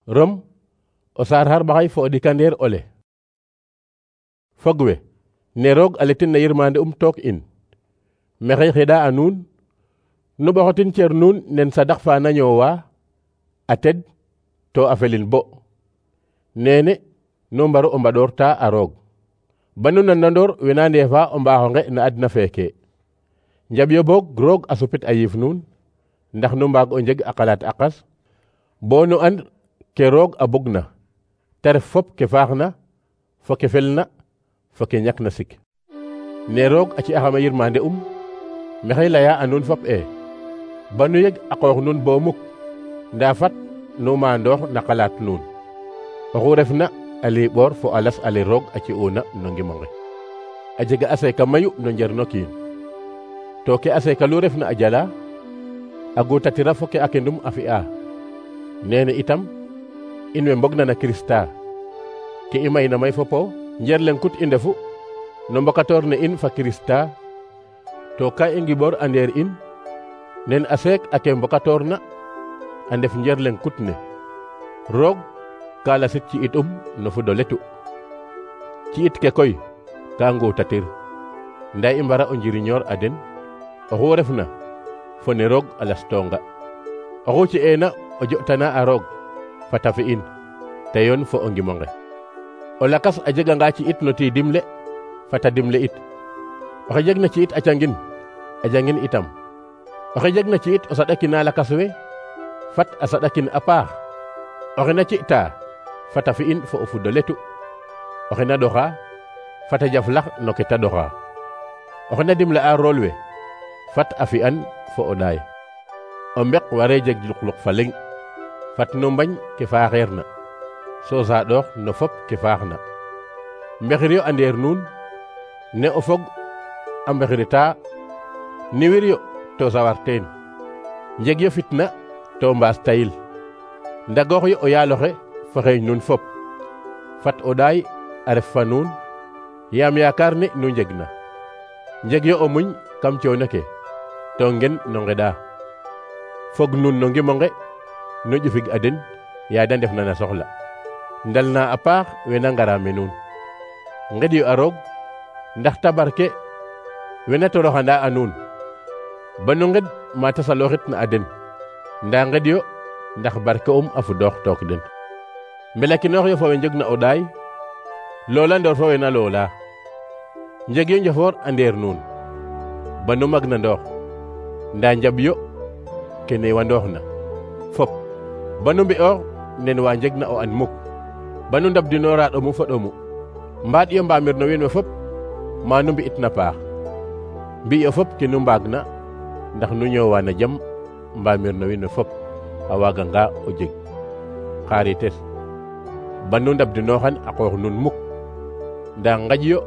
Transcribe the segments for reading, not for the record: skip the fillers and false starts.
Rom o saar xarɓaxay fo o ɗikandeer ole. Fogwe ne roog a letin na yirmande took in maxey xeɗa a nuun nu ɓoxotin cer nuun nen sadax fa na ñoowa a ted to a felin bo nene nu mbaru o mbaɗoor ta a roog ba nu nanandoor wena ndeefa o mbaxonge na adna feeke njaɓ yo boog roog a supit a yiif nuun ndax nu mbaag o njeg a qalaat aqas bo nu and ke roog a bug na te ref fop ke faax na fo ke fel na fo ke ñak na sik ne roog a ci axama yirmande maxey leya a nuun fop ba nu yeg a qoox nuun bo muk nda fat nu maandoox na qalaat nuun oxu refna a liɓoor fo a las ale roog a ci una no ngimonge a jega a seeka mayu no njerno kiin to ke a seeka lu refna a jala a gutatira fo ke a kendum a fi'a nene itam in we mbog na na Krista ke i mayna may fopo njer leng kut i ndefu no mbokatoor ne in fa Krista to ka i ngiɓoor a ndeer in nen a seek a ke mbokatoor na a ndef njer leng kut ne roog ka lasit ci it no fudo letu ci it ke koy ka ngutatir nda i mbara o njiriñoor a den oxu refna fo ne roog a lastonga oxu ci eena o jotana a roog fata fi in te yoon fo o ngimonge o lakas a jeganga ci it no tiidim le fata dimle it oxe jeg na ci it a jangin itam oxe jeg na ci it o saɗakina lakas we fat a saɗakin a paax oxe na ci ta fata fi in fo o fudo letu oxe na ɗoxa fata jaf lax no ke ta ɗoxa oxe na dimle a rool we fat a fi'an fo o ɗaay o mbek ware jeg luqluq fa leŋ fat no mbañ ke faaxeer na so saaɗoox no fop ke faax na mbexir yo a ndeer nuun ne o fog a mbexirita niwir yo to sawar teen njeg yo fitna to mbaas tayil ndagoox yo o yaaloxe fo xeeñ nuun fop fat o ɗaay a ref fa nuun yaam yaakaar ne nu njeg na njeg yo o muñ kam coono ke to ngen no ngeɗa fog nuun no ngimonge nu ƴufig a den yaa da ndef na na soxla ndal na a paax wena ngara me nuun nged yo a roog ndax tabarke wena toroxanda a nuun ba nu nged ma ta salooxit na a den nda nged yo ndax barke a fudoox took den mbelakinoox yo fo we njeg na o ɗaay loola ndoor fo wena loola njeg yo njofoor a ndeer nuun ba nu mag na ndoox nda njaɓ yo ke newandoox na fop ba nu mbi'oox nen wa njeg na o an muk ba nu ndabdinoora ɗomu fo ɗomu mbaaɗ yo mbaamir no wiin we fop ma nu mbi'it na paax mbi yo fop ke nu mbaag na ndax nu ñoowa na jam mbaamir no wiin we fop a waaganga o jeg xarites ba nu ndabdinooxan a qoox nun muk nda ngaƴ yo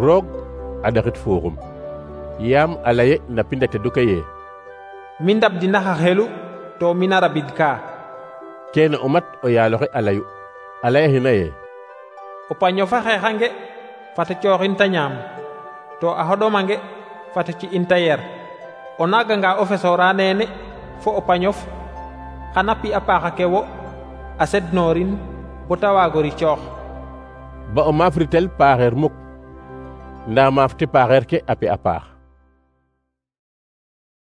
roog a ɗaxit fuuxum yaam a leye na pinda tedu ke ye mi ndabdinax a xelu to mina rabid ka keene o mat o yaaloxe a layu a layaxina ye o paño fa xeexange fata cooxin ta ñaam to a xoɗomange fata ci in ta yer o naaganga o fesoora neene fo o pañof xana pi a paaxa ke wo a sednoorin bo ta waago ricoox ba o maafritel paaxeer muk nda maaf ti paaxeer ke a pi a paax